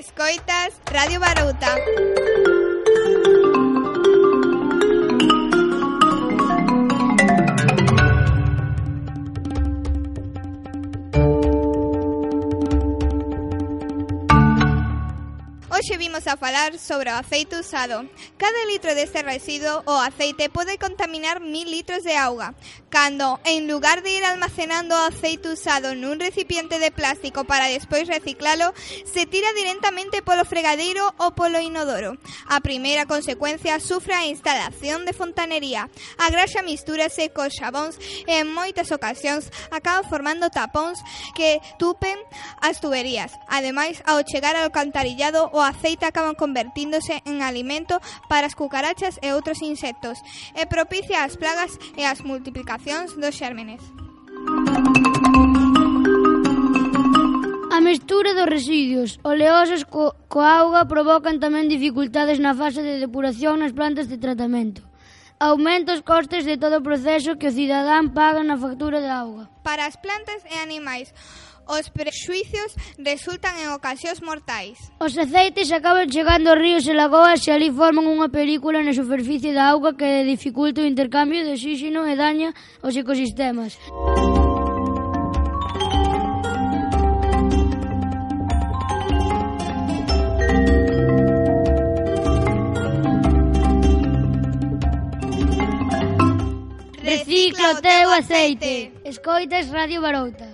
Escoitas Radio Barouta. Hoxe vimos a falar sobre o aceite usado. Cada litro deste residuo ou aceite pode contaminar 1000 litros de auga. Cando, en lugar de ir almacenando o aceite usado nun recipiente de plástico para despois reciclalo, se tira directamente polo fregadeiro ou polo inodoro. A primeira consecuencia sufre a instalación de fontanería. A graxa mistúrase cos xabóns e en moitas ocasións acaba formando tapóns que tupen as tuberías. Ademais, ao chegar ao alcantarillado, o aceite acaba convertíndose en alimento para as cucarachas e outros insectos e propicia as plagas e as multiplicacións dos xérmenes. A mestura dos residuos oleosos coa auga provocan tamén dificultades na fase de depuración nas plantas de tratamento. Aumenta os costes de todo o proceso que o cidadán paga na factura de auga. Para as plantas e animais, os prexuicios resultan en ocasións mortais. Os aceites acaban chegando aos ríos e lagoas e ali forman unha película na superficie da auga que dificulta o intercambio de oxígeno e daña os ecosistemas. Recicla o teu aceite. Escoitas Radio Barouta.